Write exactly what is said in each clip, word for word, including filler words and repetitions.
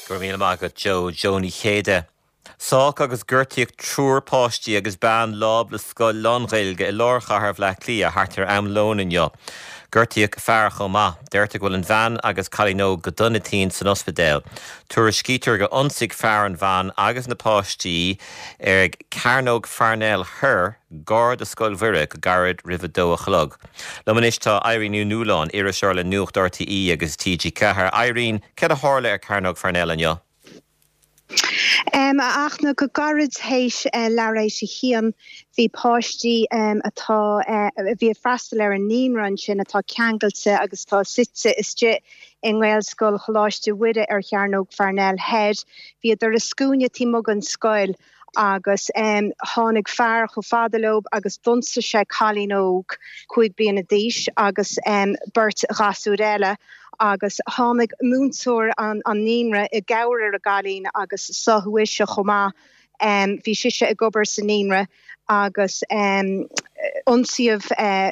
Go raibh míle maith agat Joe Joe Ní Chéide. Sádh agus gortaíodh triúr páistí agus bean lámh le scoil lán-Ghaeilge i lár chathair Bhaile Átha Cliath thart ar am lóin inniu. Gortaíodh fear chomh maith, deirtear go bhfuil an bhean agus cailín óg go dona tinn san ospidéal. Tuairiscítear gur ionsaigh fear an bhean agus na páistí ar Chearnóg Pharnell Thoir gar do Scoil Mhuire go gairid roimh a dó a chlog. Liom anois tá Irene Ní Nualláin, iriseoir le Nuacht RTÉ agus TG Ceathair. Irene, cad a tharla ar Chearnóg Pharnell inniu? Um, ach na go gairid théis uh, leathuair théis a haon bhí páistí um, atá uh, bhí ag freastal ar an naíonra ansin atá ceangailte agus tá suite istigh i nGaelscoil Choláiste Mhuire ar Chearnóg Pharnell Thoir. Bhíodar i scuaine taobh amuigh den scoil agus um, tháinig fear chomh fada leo agus d'ionsaigh sé cailín óg cúig bliana d'aois agus um, beirt ghasúr eile agus tháinig múinteoir an, an naíonra i gcabhair ar an gcailín agus sádh ise chomh maith. Um, bhí sise ag obair sa naíonra agus um, ionsaíodh uh,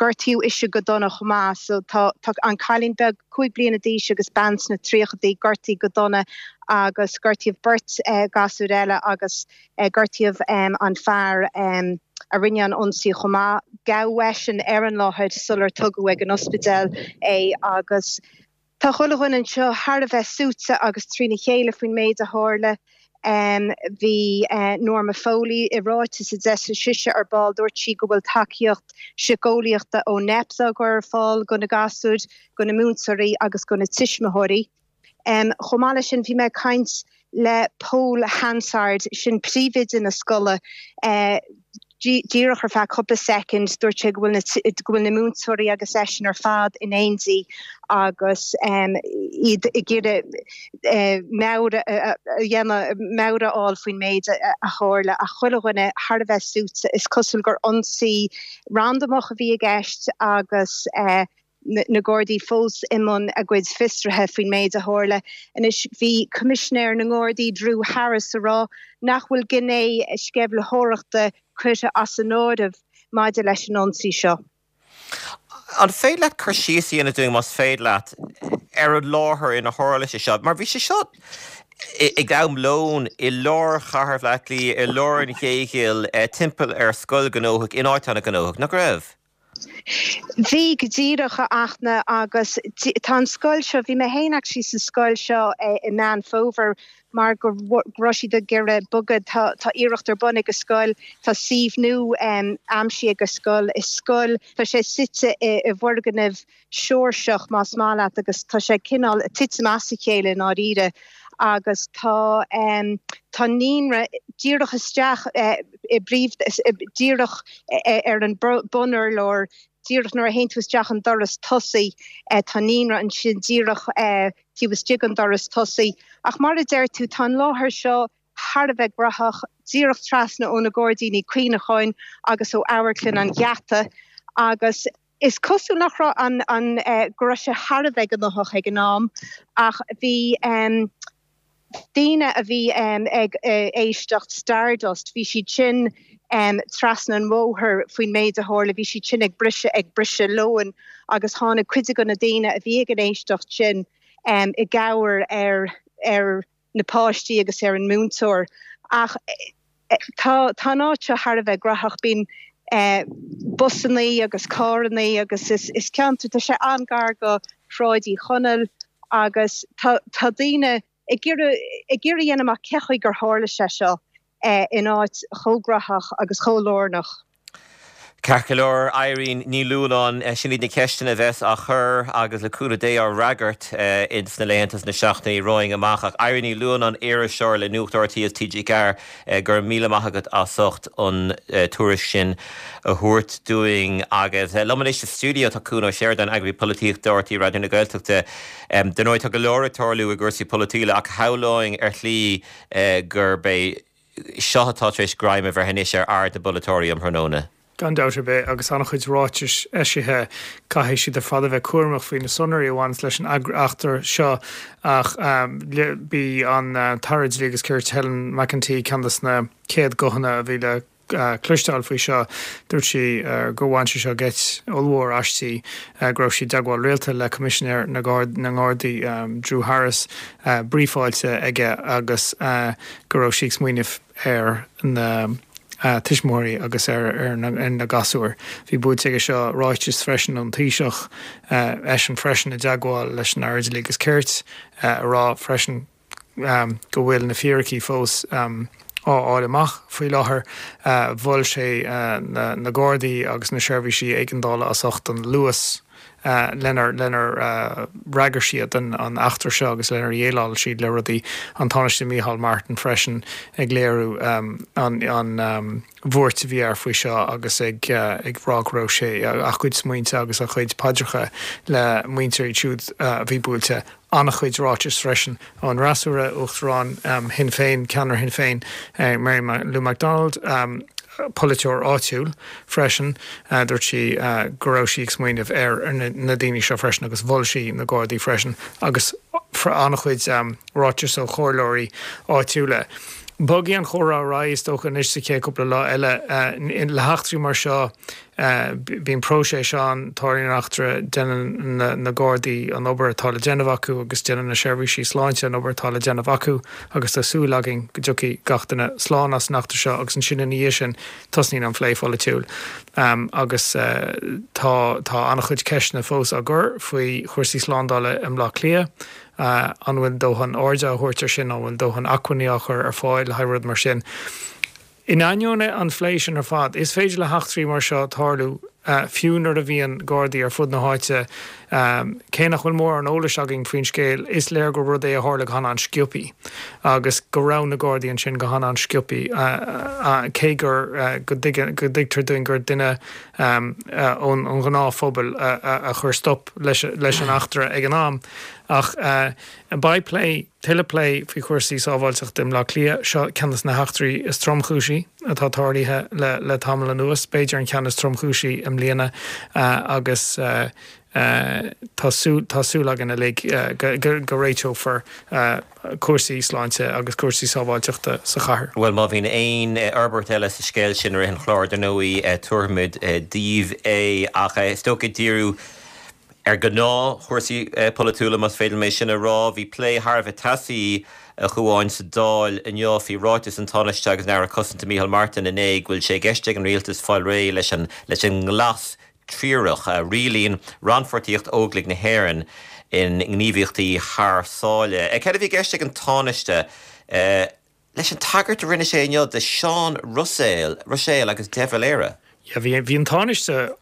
gortaíodh ise go dona chomh maith, so tá, tá an cailín beag cúig bliana d'aois agus bean sna tríochaidí gortaithe go dona agus gortaíodh beirt uh, gasúr eile agus uh, gortaíodh um, an fear um, a rinne an ionsaí chomh maith gabhadh eisean ar an láthair sular tugadh ag an ospidéal é agus Tá chuile dhuine anseo thar a bheith suaite agus trína chéile faoin méid a tharla. Um, bhí uh, Norma Foley i ráiteas a d'eisigh sise ar ball dúirt sí go bhfuil tacaíocht síceolaíochta ó NEPS á chur ar fáil do na gasúir, do na múinteoirí agus do na tuismitheoirí. Um, Chomh maith leis sin bhí mé ag caint le Paul Hansard sin príomhoide na scoile uh, díreach ar feadh cúpla soicind dúirt sé go bhfuil na múinteoirí agus eisean ar fad in éindí agus um, iad ag iarraidh uh, meabhair meabhair a fháil faoin méid a tharla a chuile dhuine thar a bheith suaite is cosúil gur ionsaí randamach a bhí i gceist agus uh, na Gardaí fós i mbun a gcuid fiosruithe faoin méid a tharla. Anois bhí Coimisinéir na nGardaí Drew Harris ag rá nach bhfuil gné sceimhlitheoireachta curtha as an áireamh maidir leis an ionsaí seo. An féidir leat cur síos a dhéanamh dúinn más féidir leat ar an láthair inar tharla sé seo, mar bhí sé seo ag am lóin i lár chathair Bhaile Átha Cliath i lár an Chéigill eh, timpeall ar scoil gnóthach in áit an-ghnóthach, nach raibh? Bhí go díreach a Fhachtna agus tá an scoil seo bhí mé féin actually sa scoil seo eh, i Meán Fómhair mar go raibh siad ag iarraidh bogadh tá iarracht ar bun ag an scoil tá suíomh nua um, aimsithe ag an scoil is scoil tá sé suite i, i bhfoirgneamh Seoirseach más maith leat agus tá sé cineál titim as a chéile dáiríre agus tá um, tá naíonra díreach isteach uh, i bpríomh díreach uh, ar an bunurlár díreach nuair a théann tú isteach an doras tosaigh uh, tá naíonra ansin díreach uh, taobh istigh den doras tosaigh. Ach mar a deir tú tá an láthair seo thar a bheith gnóthach díreach trasna ó na gairdíní cuimhneacháin agus ó Amharclann an Gheata agus is cosúil nach raibh an an uh, go raibh sé thar a bheith gnóthach ag an am ach bhí um, daoine a bhí um, ag uh, éisteacht Stardust, bhí siad sin um, trasna an bhóthair faoin méid a tharla, bhí siad sin ag briseadh ag briseadh lóin agus tháinig cuid de na daoine a bhí ag an éisteacht sin um, i gcabhair ar ar na páistí agus ar an múinteoir. Ach tá tá áit thar a bheith gnóthach bíonn eh, busanna agus carranna agus is, is ceantar tá sé an-ghar go Sráid Uí Chonaill agus tá, tá daoine ag iarraidh a dhéanamh amach cén chaoi gur tharla sé seo eh, in áit chomh gnóthach agus chomh lárnach. Ceart go leor Irene Ní Nualláin eh, sin iad na ceisteanna a bheas á chur agus le cúnamh Dé á bhfreagairt eh, ins na laethanta na seachtainí romhainn amach ach Irene Ní Nualláin iriseoir le Nuacht RTÉ is TG Ceathair go raibh míle maith agat as ucht an tuairisc sin a thabhairt dúinn agus liom anois sa stiúideo tá Cuan Ó Seireadáin eagarthóir polaitíochta RTÉ Raidió na Gaeltachta. Dar ndóigh tá go leor ag tarlú i gcúrsaí polaitíochta ach shamhlóinn ar shlí gurb é seo atá tar éis greim a bheith anois ar aird na bpolaiteoirí um thráthnóna. Gan dabht ar bith agus an-chuid ráitis eisithe caithfidh siad ar fad a bheith cúramach faoi na sonraí a bhaineann leis an eachtra seo ach um, bhí an uh, tAire Dlí agus Cirt Helen McEntee ceann de na chéad ghuthanna a bhí le cloisteáil faoi seo, dúirt sí gur bhain sé seo geit ollmhór aisti, go raibh sí i dteagmháil rialta le Coimisinéir na nGardaí Drew Harris, brífáilte aige agus go raibh sí ag smaoineamh ar na tuismitheoirí agus ar na gasúir. Bhí buailte aige seo ráiteas freisin ón Taoiseach, eisean freisin i dteagmháil leis an Aire Dlí agus Cirt, a rá freisin go bhfuil na fíricí fós á fháil amach faoi láthair. Mhol sé na Gardaí agus na seirbhísí éigeandála as ucht an luas lenar lenar fhreagair siad an eachtra seo agus lenar dhéileáil siad le rudaí. An Tánaiste Micheál Martin freisin ag léiriú an an bhuairt a bhí air faoi seo agus ag ag rá go raibh sé a chuid smaointe agus a chuid paidreacha le muintir iad siúd a bhí buailte. An-chuid ráitis freisin ón fhreasúra, Uachtarán Shinn Féin, ceannaire Shinn Féin, Mary Lou McDonald, polaiteoir áitiúil freisin, dúirt sí go raibh sí ag smaoineamh ar na daoine seo freisin agus mhol sí na Gardaí freisin agus an-chuid ráiteas ó chomhairleoirí áitiúla. Bogfaidh an chomhrá ar aghaidh is dócha anois sa chéad cúpla lá eile. Le heachtraí mar seo bíonn próiseas ann, tarlaíonn eachtra, déanann na Gardaí an obair atá le déanamh acu agus déanann na seirbhísí sláinte an obair atá le déanamh acu agus tá súil againn go dtiocfaidh gach duine slán as an eachtra seo agus ansin ina dhiaidh sin tosnaíonn an phlé pholaitiúil agus tá tá an-chuid ceisteanna fós á gcur faoi chúrsaí slándála i mBleá Cliath. An bhfuil dóthain airde á thabhairt air sin? An bhfuil dóthain acmhainní á chur ar fáil le haghaidh rud mar sin? In ainneoin an phlé sin ar fad, is féidir le heachtraí mar seo tarlú fiú nuair a bhíonn Gardaí ar fud na háite. Cé nach bhfuil mórán eolais againn faoin scéal, is léir gur rud é a tharla go han-an-sciobthaí agus go raibh na Gardaí ansin go han-an-sciobthaí, cé gur go dtuigtear dúinn gur duine ón ngnáthphobal a chuir stop leis an eachtra ag an am. Ach beidh plé, tuilleadh plé faoi chúrsaí sábháilteachta i mBleá Cliath. Seo ceann de na heachtraí is tromchúisí atá tarlaithe le tamall anuas, b'fhéidir an ceann is tromchúisí i mbliana agus tá tá súil againn uilig go réiteofar cúrsaí sláinte agus cúrsaí sábháilteachta sa chathair. Bhuel, má bhíonn aon fhorbairt eile sa scéal sin i rith an chláir, dar ndóigh, tabharfaimid daoibh é. Ach is dócha díriú ar ghnáthchúrsaí polaitiúla, más féidir liom é sin a rá. Bhí plé thar a bheith teasaí, a Chuáin, sa Dáil inniu faoi ráiteas an Tánaiste agus an Aire Cosanta Micheál Martin inné go bhfuil sé i gceist ag an rialtas fáil réidh leis an leis an nglas triarach a rialaíonn rannpháirtíocht Óglaigh na hÉireann i ngníomhaíochtaí thar sáile. Céard a bhí i gceist ag an Tánaiste leis an tagairt a rinne sé inniu do Seán Ruiséal Ruiséal agus de Valera? Yeah, bhí bhí an Tánaiste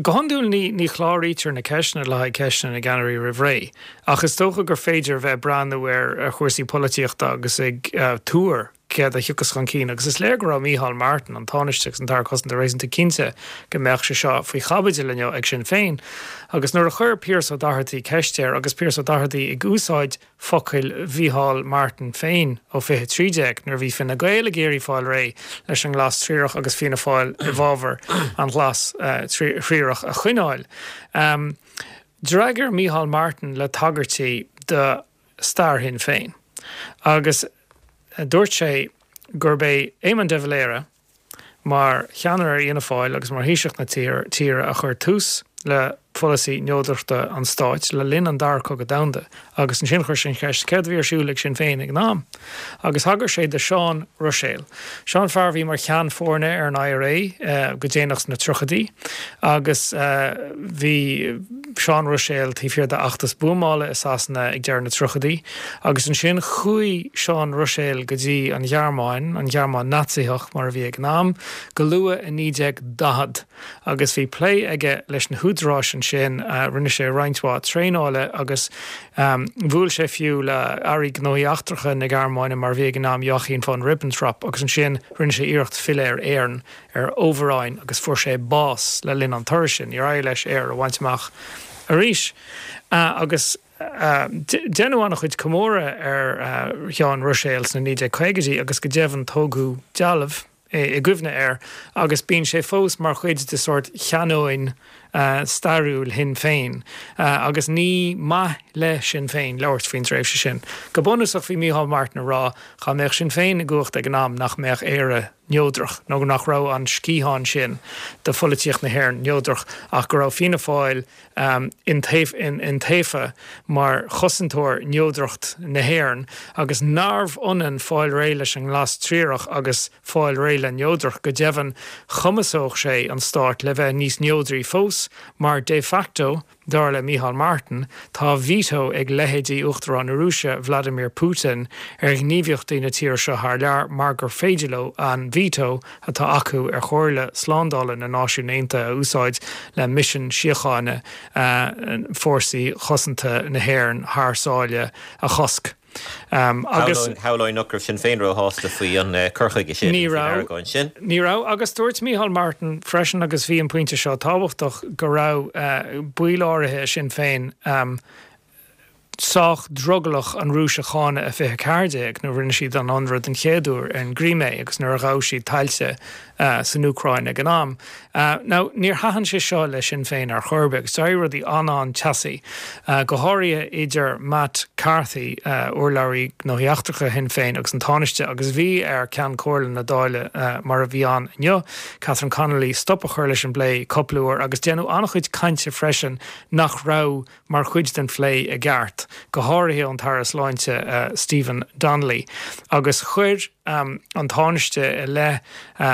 Go hiondúil ní ní chláraítear na ceisteanna le haghaidh ceisteanna na gceannairí roimh ré, ach is dócha gur féidir a bheith ag breathnú ar ar chúrsaí polaitíochta agus ag tuar céard a thiocfas chun cinn agus is léir go raibh Micheál Martin, an Tánaiste agus an tAire Cosanta réasúnta cinnte go mbeadh sé seo faoi chaibidil inniu ag Sinn Féin. Agus nuair a chuir Pearse Ó Doherty ceist air agus Pearse Ó Doherty ag úsáid focail Mhícheál Martin féin ó fiche trí déag nuair a bhí Fine Gael ag iarraidh fáil réidh leis an nglas triarach agus Fianna Fáil i bhfabhar an ghlas thriarach a choinneáil. D'fhreagair Mícheál Martin le tagairtí do stair Shinn Féin agus dúirt sé gurb é Éamon de Valera, mar cheannaire ar Fhianna Fáil agus mar Thaoiseach na tíre a chuir tús le pholasaí neodrachta an stáit le linn an Dara Cogadh Domhanda agus ansin chuir sé an cheist céard a bhí ar siúl ag Sinn Féin ag an am agus thagair sé do Seán Ruiséal. Seo an fear a bhí mar cheann foirne ar an IRA go déanach sna tríochaidí agus bhí Seán Ruiséal taobh thiar d'fheachtas buamála i Sasana ag deireadh na tríochaidí agus ansin chuaigh Seán Ruiséal go dtí an Ghearmáin, an Ghearmáin Naitsíoch mar a bhí ag an am, go luath i naoi déag daichead agus bhí plé aige leis na húdaráis ansin, rinne sé roinnt mhaith traenála agus bhuail sé fiú le Airí Gnóthaí Eachtracha na Gearmáine mar a bhí ag an am, Joachim von Ribbentrop, agus ansin rinne sé iarracht filleadh ar Éirinn ar fhomhuireán agus fuair sé bás le linn an turais sin. Níor éirigh leis Éire a bhaint amach arís. Agus deineadh an-chuid comóradh ar Sheán Ruiséal sna naoi déag caogaidí agus go deimhin tógadh dealbh i gcuimhne air agus bíonn sé fós mar chuid de sórt chanóin stairiúil Shinn Féin agus ní maith le Sinn Féin labhairt faoin tréimhse sin. Go bunúsach bhí Micheál Martin ag rá dá mbeadh Sinn Féin i gcumhacht ag an am nach mbeadh Éire neodrach nó nach raibh an sciathán sin de pholaitíocht na hÉireann neodrach ach go raibh Fianna Fáil iontaofa mar chosantóir neodracht na hÉireann agus nárbh ionann fáil réidh leis an nGlas Triarach agus fáil réidh le neodracht. Go deimhin chumasódh sé an stát le bheith níos neodraí fós mar de facto Dar le Micheál Martin, tá veto ag leithéidí Uachtarán na Rúise, Vladimir Putin, ar ghníomhaíochtaí na tíre seo thar lear mar gur féidir leo an veto atá acu ar Chomhairle Slándála na Náisiún Aontaithe a úsáid le misean síochána fórsaí cosanta na hÉireann thar sáile a chosc. Agus shamhlóinn nach raibh Sinn Féin róshásta faoi an cur chuige sin, Ní raibh. sin. Ní raibh agus dúirt Micheál Martin freisin agus bhí an pointe seo tábhachtach go raibh baill áirithe Sinn Féin sách drogallach an Rúis a cháineadh i fiche ceathair déag nuair a rinne siad an ionradh den chéad uair ar an gCrimé agus nuair a ghabh siad tailte san Úcráin ag an am. Now, níor thaitin sé seo le Sinn Féin ar chor ar bith agus d'éirigh rudaí an-an-teasaí, go háirithe idir Matt Carthy, urlabhraí gnóthaí eachtracha Shinn Féin agus an Tánaiste agus bhí ar Ceann Comhairle na Dála mar a bhí ann inniu, Catherine Connolly, stop a chur leis an bplé cúpla uair agus déanadh an-chuid cainte freisin nach raibh mar chuid den phlé i gceart, go háirithe ón tAire Sláinte Stephen Donnelly agus chuir an Tánaiste i leith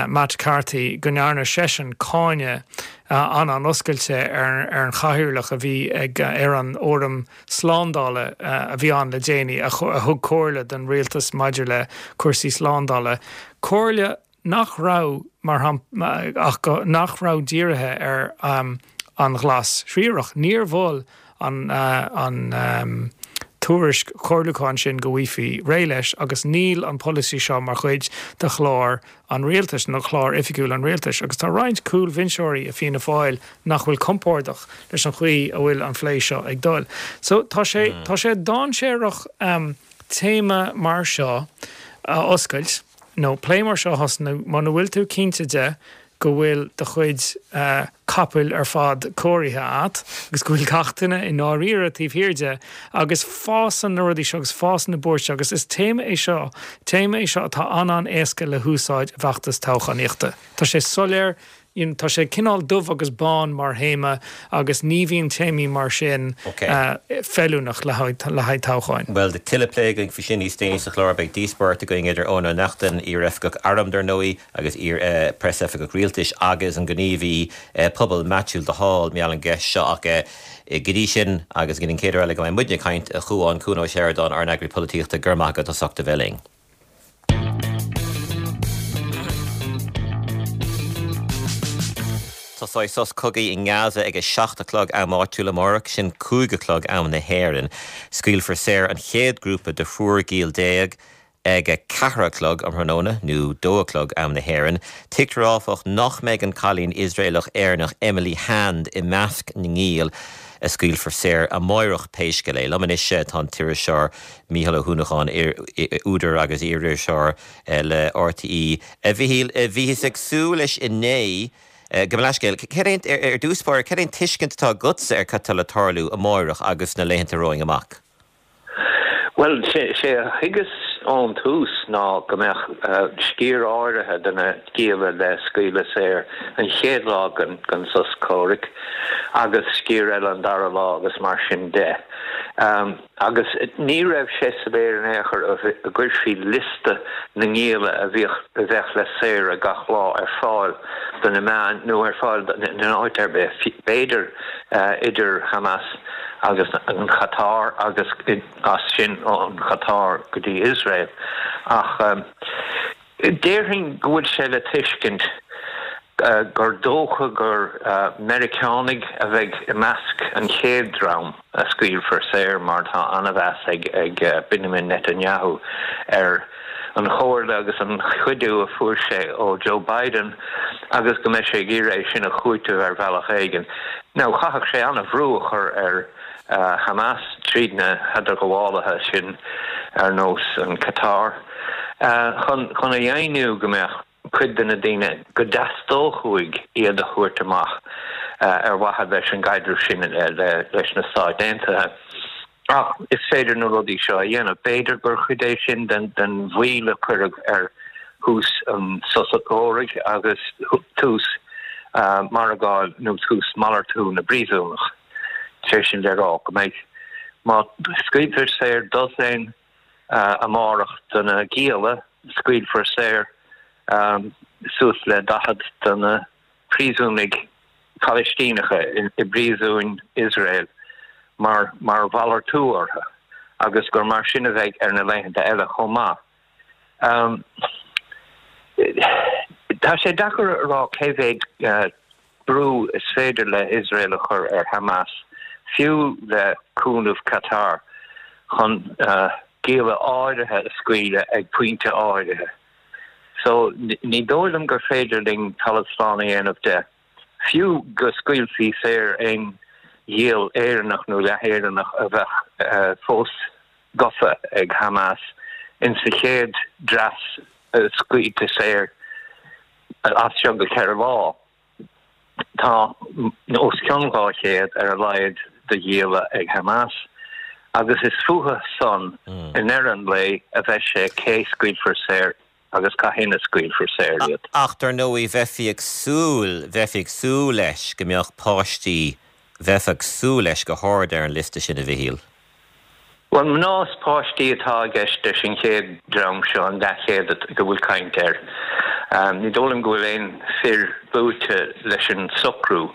Matt Carthy go ndearna seisean cáineadh an-an-oscailte ar an chathaoirleach a bhí ag ar an Fhóram Slándála a bhí ann le déanaí a thug comhairle don rialtas maidir le cúrsaí slándála, comhairle nach raibh mar ach nach raibh dírithe ar an Ghlas Thriarach. Níor mhol an an tuairisc chomhairliúcháin sin go bhfaighfí réidh leis agus níl an polasaí seo mar chuid de chlár an rialtais nó chlár oifigiúil an rialtais agus tá roinnt cúlbhinseoirí i Fianna Fáil nach bhfuil compordach leis an chaoi a bhfuil an phlé seo ag dul. So tá sé tá sé dainséarach um, téama mar seo a oscailt nó plé mar seo a thosnú muna bhfuil tú cinnte de go bhfuil do chuid capaill ar fad cóirithe agat agus go bhfuil gach duine i ndáiríre taobh thiar de agus fásann na rudaí seo agus fásann na buairt agus is téama é seo, téama é seo atá an-an-éasca le húsáid i bhfeachtas toghchánaíochta. Tá sé soiléir, you know, tá sé cineál dubh agus bán mar théama agus ní bhíonn téamaí mar sin feiliúnach le haghaidh toghcháin. Bhuel, tá tuilleadh plé againn faoi sin níos déanaí sa chlár. Beidh díospóireacht againn idir Eoin Ó Neachtain, iar-oifigeach airm dar ndóigh, agus iar-preasoifigeach rialtais agus an gníomhaí pobail Maitiú de Hál mar gheall ar an gceist seo ach go dtí sin agus go dtí an chéad uair eile go mbeidh muidne ag caint, a Chuáin, Cuan Ó Seireadáin, ár n-eagraí polaitíochta, go raibh maith agat as ucht a bheith linn. Tosóidh sos cogaidh i nGaza ag a seacht a chlog am áitiúil amárach, sin cúig a chlog am na hÉireann. Scaoilfear saor an chéad ghrúpa de thriúr giall déag ag a ceathair a chlog um thráthnóna, nó dó a chlog am na hÉireann. Tuigtear áfach nach mbeidh an cailín Iosraelach-Éireannach Emily Hand i measc na ngiall a scaoilfear saor amáireach pé scéal é. Liom anois tá an t-iriseoir Mícheál Ó hUanacháin, údar agus iar-iriseoir le RTÉ. A Mhíchíl, bhíothas ag súil leis inné, gabh mo leithscéal, cad é, ar dtús báire, cad é an tuiscint atá agatsa ar cad tá le tarlú amáireach agus sna laethanta romhainn amach? Bhuel, sé a thuigeas ón tús ná go mbeadh sciar áirithe de na gialla le scaoileadh saor an chéad lá den sos comhraic agus sciar eile an dara lá agus mar sin de. Agus ní raibh sé soiléir in aon chor an gcuirfí liosta na ngialla a bhíodh, a bheadh le saoradh gach lá ar fáil do na meáin nó ar fáil in áit ar bith, b'fhéidir idir Hamas agus an Chatar agus as sin ón Chatar go dtí Iosrael. Ach déarfainn go bhfuil sé le tuiscint gur dócha gur Meiriceánaigh a bheidh i measc an chéad dream a scaoilfear saor mar tá an-mheas ag Benjamin Netanyahu ar an chomhairle agus an chuidiú a fuair sé ó Joe Biden agus go mbeidh sé ag iarraidh é sin a chúiteamh ar bhealach éigin. Now chaithfeadh sé an-bhrú a chur ar Hamas tríd na headarghabhálaithe sin ar nós an Qatar chun chun a dheimhniú go mbeadh cuid de na daoine go dteastódh uaidh iad a thabhairt amach ar mhaithe leis an gcaidreamh sin leis na Stáit Aontaithe. Ach is féidir na rudaí seo a dhéanamh. B'fhéidir gur chuid é sin den den mhoill a cuireadh ar thús an tsosa comhraic agus tús margáil nó tús malartú na bpríosúnach. Sé sin le rá go mbeidh má scaoiltear saor dosaen amárach de na gialla, scaoilfear saor suas le daichead de na príosúnaigh Phalaistíneacha i bpríosúin Iosrael mar mar mhalartú orthu agus gur mar sin a bheidh ar na laethanta eile chomh maith. Tá sé deacair a rá cé mhéad brú is féidir le Iosrael a chur ar Hamas, fiú le cúnamh Qatar, chun gialla áirithe a scaoileadh ag pointe áirithe. So ní dóigh liom gur féidir linn talamh slán a dhéanamh de, fiú go scaoilfí saor aon ghiall Éireannach nó leath-Éireannach a bheadh fós gafa ag Hamas insa chéad dreas scaoilte saor as seo go ceithre lá. Tá os cionn dhá chéad ar a laghad de ghialla ag Hamas agus is fúthu san i ndeireadh an lae a bheidh sé cé scaoilfear saor agus cathain a scaoilfear saor iad. Ach dar ndóigh bheifí ag súil, bheifí ag súil leis go mbeadh páistí, bheifeá ag súil leis go hard ar an liosta sin a Mhichíl. Bhuel, mná is páistí atá i gceist leis an chéad dream seo, an leathchéad go bhfuil caint air. Ní dóigh liom go bhfuil aon fir luaite leis an socrú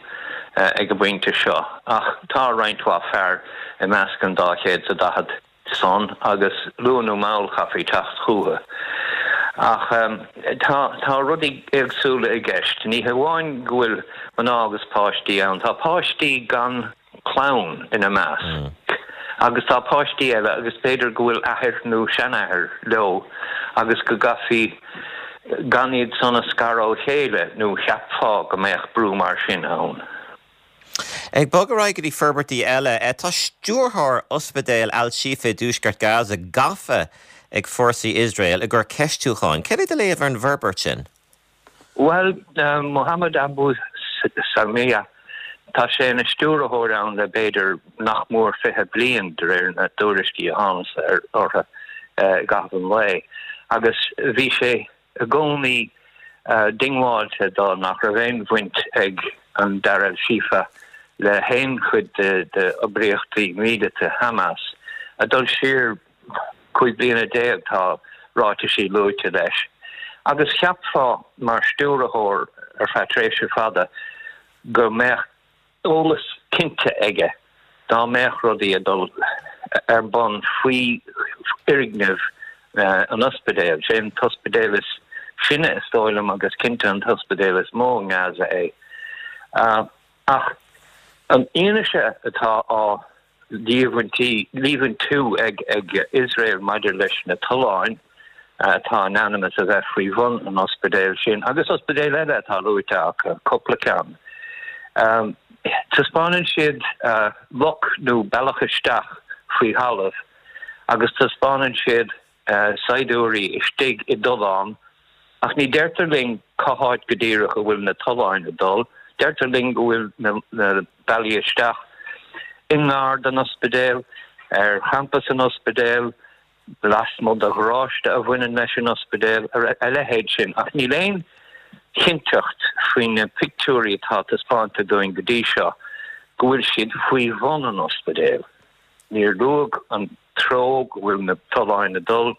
ag an bpointe seo, ach tá roinnt mhaith fear i measc an dá chéad is a daichead san agus luath nó mall chaithfí teacht chucu. Ach tá tá rudaí éagsúla i gceist. Ní hamháin go bhfuil mná agus páistí ann, tá páistí gan clann ina measc. Agus tá páistí eile agus b'fhéidir go bhfuil athair nó seanathair leo agus go gcaithfí gan iad san a scaradh ó chéile nó cheapfá go mbeadh brú mar sin ann. Ag bogadh ar aghaidh go dtí forbairtí eile, tá stiúrthóir Ospidéal Al-Shifa i dtuaisceart Gaza gafa ag fórsaí Iosrael i gcomhair ceistiúcháin. Céard é do léamh ar an bhforbairt sin? Bhuel, Mohammed Abu Salmiya, tá sé ina stiúrthóir ann le b'fhéidir nach mór fiche bliain, de réir na dtuairiscí a thánas orthu i gcaitheamh an lae, agus bhí sé i gcónaí diongbháilte dó nach raibh aon bhaint ag an Dar al-Shifa le haon chuid d'oibríochtaí míleata Hamas. Ag dul siar cúig bliana déag tá ráitisí luaite leis. Agus cheapfá mar stiúrthóir ar feadh tréimhse fada go mbeadh eolas cinnte aige dá mbeadh rudaí ag dul ar bun faoi fhoirgneamh an ospidéil. Sé an t-ospidéal is sine is dóigh liom agus cinnte an t-ospidéal is mó i nGaza é. Ach an fhianaise atá á líomhaintú ag Iosrael maidir leis na tolláin atá in ainm is a bheith faoi bhun an ospidéil sin, agus ospidéil eile atá luaite acu, cúpla ceann. Taispeánann siad loc nó bealach isteach faoi thalamh agus taispeánann siad saighdiúirí istigh i dtollán, ach ní deirtear linn cá háit go díreach a bhfuil na tolláin ag dul. Deirtear linn go bhfuil na bealaí isteach i ngar don ospidéal, ar champas an ospidéil, lasmuigh de gharáiste a bhaineann leis an ospidéal, a leithéid sin. Ach níl aon chinnteacht faoi na pictiúirí atá taispeánta dúinn go dtí seo go bhfuil siad faoi bhun an ospidéil. Níor luadh an treo go bhfuil na tolláin ag dul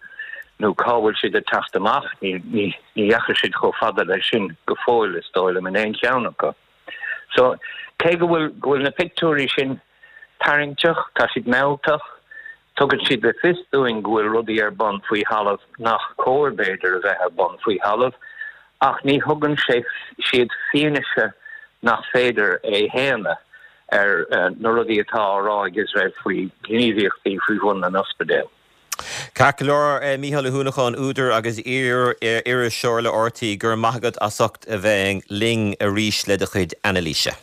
nó cá bhfuil siad ag teacht amach, ní dheachaigh siad chomh fada leis sin go fóill, is dóigh liom, in aon cheann acu. So, cé go bhfuil go bhfuil na pictiúirí sin tarraingteach, tá siad mealltach, tugann siad le fios dúinn go bhfuil rudaí ar bun faoi thalamh nach cóir, b'fhéidir, a bheith ar bun faoi thalamh, ach ní thugann sé siad fianaise nach féidir a shéanadh ar na rudaí atá á rá ag Iosrael faoi ghníomhaíochtaí faoi bhun an ospidéil. Ceart go leor, Mícheál Ó hUanacháin, údar agus iar-iriseoir le RTÉ, go raibh maith agat as ucht a bheith linn arís le do chuid anailíse.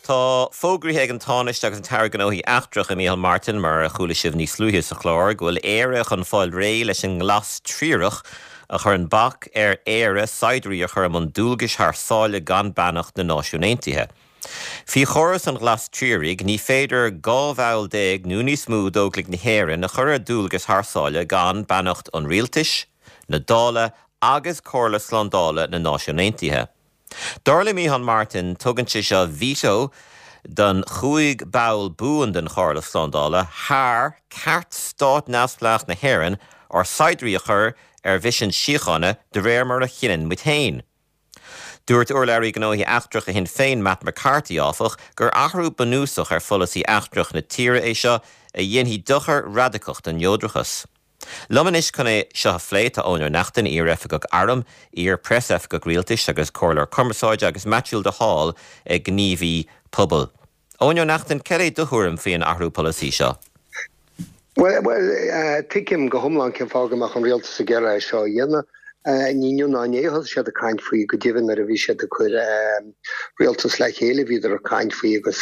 Tá fógraithe ag an Tánaiste agus an tAire Gnóthaí Eachtracha, Micheál Martin, mar a chuala sibh níos luaithe sa chlár, go bhfuil Éire chun fáil réidh leis an nglas triarach a chuireann bac ar Éire saighdiúirí a chur i mbun dualgais thar sáile gan beannacht na Náisiún Aontaithe. Faoi chóras an Ghlas Triaraigh, ní féidir dhá bhall déag nó níos mó d'Óglaigh na hÉireann a chur ar dualgas thar sáile gan beannacht an Rialtais, na Dála agus Comhairle Slándála na Náisiún Aontaithe. Dar le Micheál Martin, tugann sé seo veto don chúig ball buan den Chomhairle Slándála thar ceart stát neamhspleách na hÉireann ár saighdiúirí a chur ar mhisean síochána de réir mar a chinneann muid féin. Dúirt Urlabhraí Gnóthaí Eachtracha Shinn Féin Matt McCarthy áfach gur athrú bunúsach ar pholasaí eachtrach na tíre é seo a dhéanfaidh dochar radacach don neodrachas. Liom anois chun é seo a phlé tá Eoin Ó Neachtain, iar-oifigeach airm, iar-phreasoifigeach rialtais agus comhairleoir cumarsáide agus Maitiú de Hál, gníomhaí pobail. Eoin Ó Neachtain, cad é do thuairim faoin athrú polasaí seo? Well, well, tuigim go hiomlán cén fáth go mbeadh an rialtas ag iarraidh é seo a dhéanamh. Ní inniu ná inné a thosaigh siad ag caint faoi, go deimhin nuair a bhí siad ag cur rialtas le chéile bhíodar ag caint faoi agus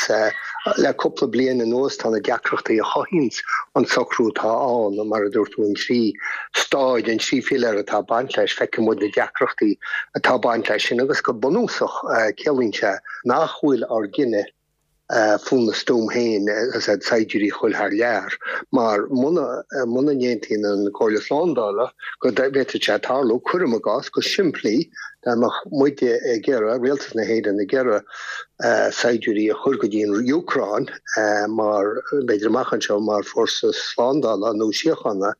le cúpla bliain anuas tá na deacrachtaí a chothaíonns an socrú atá ann, mar a dúirt tú, an trí stáid, an trí philéar atá ag baint leis, feiceann muid na deacrachtaí atá ag baint leis sin agus go bunúsach ciallaíonn sé nach bhfuil ár gcinneadh faoina stuaim féin is ea saighdiúirí a ghoil thar lear, mar muna muna n-aontaíonn an Chomhairle Slándála go bhféadfadh sé tarlú, cuirim i gcás, go simplí, dá mbeadh muide ag iarraidh, Rialtas na hÉireann ag iarraidh saighdiúirí a chur go dtí an Úcráin mar, b'fhéidir amach anseo, mar fórsa slándála nó síochána,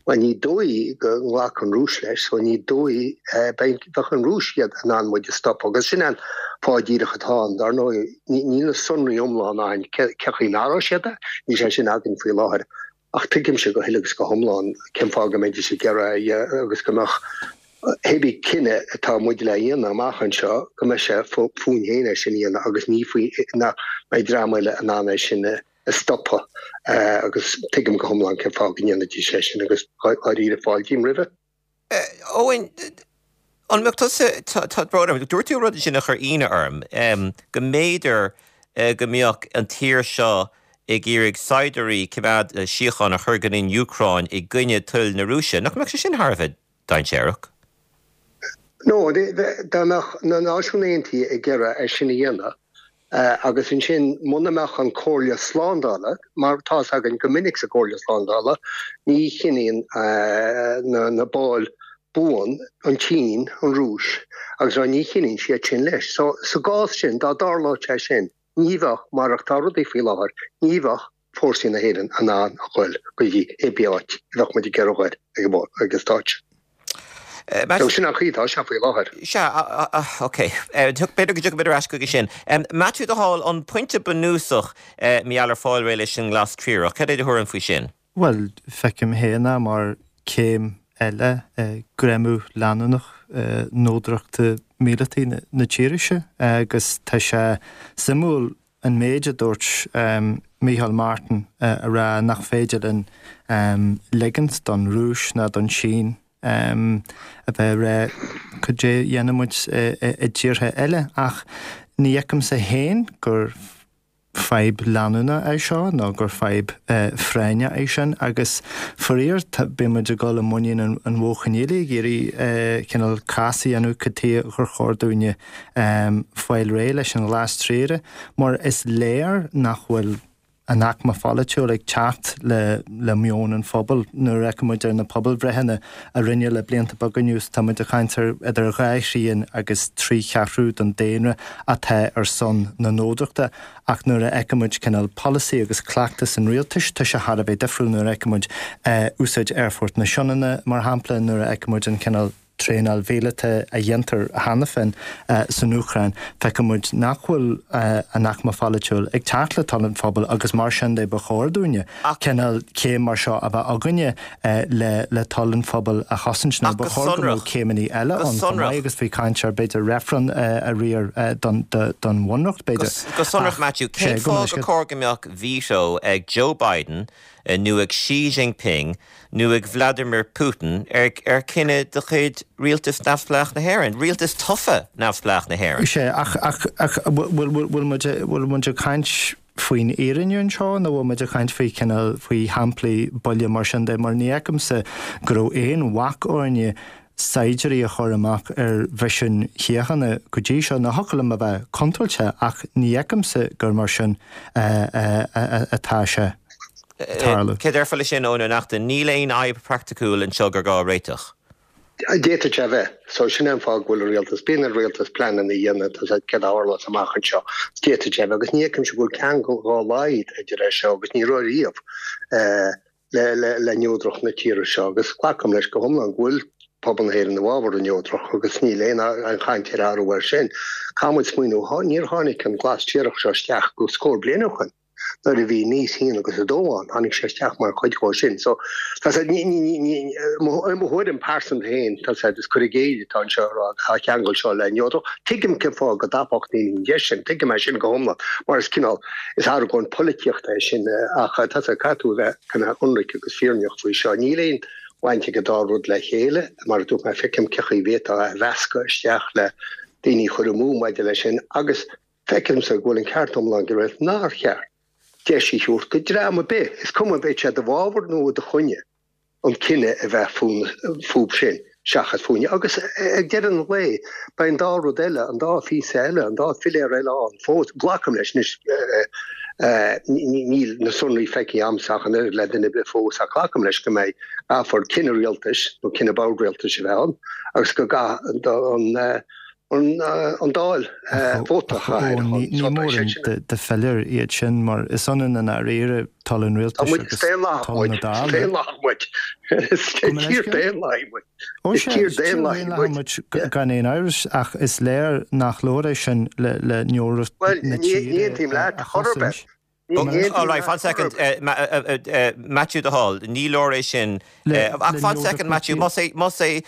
bhuel ní dóigh go nglacfadh an Rúis leis, so ní dóigh, bheadh an Rúis iad in ann muid a stopadh agus sin an fáth díreach atá ann, dar ndóigh. Níl na sonraí iomlán againn cé chaoi n-athródh siad é, níl sé sin againn faoi láthair. Ach tuigimse go huile agus go hiomlán cén fáth go mbeidís ag iarraidh é agus go mbeadh hébí cinneadh atá muid le dhéanamh amach anseo, go mbeidh sé fúinn féin é sin a dhéanamh agus ní faoi nach mbeidh dream eile in ann é sin a stopadh. Agus tuigim go hiomlán cén fáth go ndéanfaidís é sin agus dháiríre fáiltím roimhe. Eoin, an mbeadh tusa, tá brón orm, dúirt tú rud ansin a chuir ionadh orm, go mb'fhéidir go mbeadh an tír seo ag iarraidh saighdiúirí coimeád síochána a chur go dtí an Úcráin i gcoinne toil na Rúise. Nach mbeadh sé sin thar a bheith dainséarach? No, dá mbeadh na Náisiúin Aontaithe ag iarraidh é sin a dhéanamh, Agus ansin, muna mbeadh an Chomhairle Slándála, mar tá's againn go minic sa gComhairle Slándála, ní chinneann na baill buan, an tSín, an Rúis agus rud, ní chinneann siad sin leis. So, sa gcás sin, dá dtarlódh sé sin, ní bheadh, mar atá rudaí faoi láthair, ní bheadh fórsaí na hÉireann in ann a ghoil go dtí hébí áit a bheadh muid ag iarraidh a ghoil ag an stáitse. So sin an chaoi atá sé faoi láthair. Sea, ok. B'fhéidir go dtiocfaimid ar ais chuige sin. Maitiú de Hál, an pointe bunúsach mar gheall ar fáil réidh leis an nGlas Triarach, cad é do thuairim faoi sin? Bhuel, feicim féin é mar céim eile i gcreimeadh leanúnach neodrachta míleataí na tíre seo agus tá sé suimiúil an méid a dúirt Micheál Martin a rá nach féidir linn ligint don Rúis ná don Sín a bheith ag rá cad é a dhéanfaidh muid i dtíortha eile ach ní fheicimse féin gur fadhb leanúnach é seo nó gur fadhb phráinneach é sin agus faraor bíonn muid ag dul i muinín an bhó choinníollaigh ag iarraidh cineál cás a dhéanamh cad chuige gur chóir dúinne fáil réidh leis an ghlas triarach mar is léir nach bhfuil an aicme pholaitiúil ag teacht le meon an phobail. Nuair a fheiceann muid ar na pobalbhreitheanna a rinneadh le blianta beaga anuas, tá muid ag caint ar idir dhá thrian agus trí cheathrú den daonra atá ar son na neodrachta. Ach nuair a fheiceann muid cineál polasaí agus cleachtas an rialtais, tá sé thar a bheith difriúil. Nuair a fheiceann muid úsáid Aerfort na Sionainne, mar shampla, nuair a fheiceann muid an cineál traenáil mhíleata a dhéantar cheana féin san Úcráin, feiceann muid nach bhfuil an aicme pholaitiúil ag teacht le toil an phobail agus mar sin de ba chóir dúinne cineál céim mar seo a bheith againne le toil an phobail a chosaint nó ba chóir go mbeadh céimeanna eile ann chomh maith agus bhí caint ar b'fhéidir reifreann a riar don bhunreacht b'fhéidir. Go sonrach Matthew, cén fáth gur chóir go mbeadh veto ag Joe Biden nó ag Xi Jinping nó ag Vladimir Putin ar chinneadh de chuid rialtas neamhspleách na hÉireann, rialtas tofa neamhspleách na hÉireann. Sea, ach ach ach bhfuil bhfuil muid bhfuil muid ag caint faoin fhírinne anseo nó bhfuil muid ag caint faoi cineál faoi shamplaí buile mar sin de mar ní fheicimse go raibh aon bhac orainne saighdiúirí a chur amach ar mhisin shíochána go dtí seo. Now thiocfadh liom a bheith contúirteach ach ní fheicimse gur mar sin atá sé ag tarlú. Céard a déarfá leis sin, Eoin Ó Neachtain? Níl aon fhadhb praiticiúil anseo gur gá a réiteach. D'fhéadfadh sé a bheith. So sin é an fáth go bhfuil an rialtas, bíonn ar an rialtas pleananna a dhéanamh, tá a fhios agat céard a tharlós amach anseo. D'fhéadfadh sé a bheith agus ní fheicimse go bhfuil ceangal dá laghad idir é seo agus ní raibh riamh le neodracht na tíre seo agus glacaim leis go hiomlán go bhfuil pobal na hÉireann i bhfabhar an neodracht agus níl aon chaint ar athrú air sin. Caithfidh muid smaoineamh, níor tháinig an glas triarach seo isteach go scór bliain ó shoin. Nuair a bhí Nice a haon agus a dó ann, tháinig sé isteach mar chuid dhó sin. So, tá sé, ní, ní, ní, ní, mo, mo thuairim pearsanta féin, tá sé, is cur i gcéill atá anseo a rá, tá ceangal seo le neodracht. Tuigim cén fáth go dtapódh daoine an deis sin, tuigim é sin go hiomlán, mar is cineál, is argóint polaitíochta é sin, ach tá sé, caithfidh tú a bheith kind of ionraic agus fírinneach faoi seo. Níl aon bhaint ag an dá rud le chéile, mar a dúirt mé, feicim cén chaoi a bhféadfá é a mheascadh isteach le daoine a chur amú maidir leis sin agus feicimse go bhfuil an ceart iomlán ag an rialtas nár cheart deis a thabhairt do dhream ar bith, is cuma an mbeidh sé i do bhfabhar nó i do choinne, an cinneadh a bheith fúthu sin seachas fúinne. Agus ag deireadh an lae, beidh an dá rud eile, an dá phíosa eile, an dá philéar eile ann fós. Glacaim leis anois, níl na sonraí feicthe agamsa ach an oiread le duine ar bith fós, ach glacaim leis go mbeidh, caithfear cinneadh rialtais nó cinneadh bord rialtais a bheith ann agus go gcaithfidh an an Dáil vóta a chaitheamh ar a shon. Ní mór de philéir iad sin mar is ionann i ndáiríre toil an rialtais agus toil na Dála. Is daonlathach muid. Is tír daonlathaí muid. Is tír daonlathaí muid. Gan aon amhras ach is léir nach leor é sin le neodracht na tíre a chosaint. All right, fan second, Matthew de Hall, ní leor é sin. Ach fan second, Matthew, más é, más é,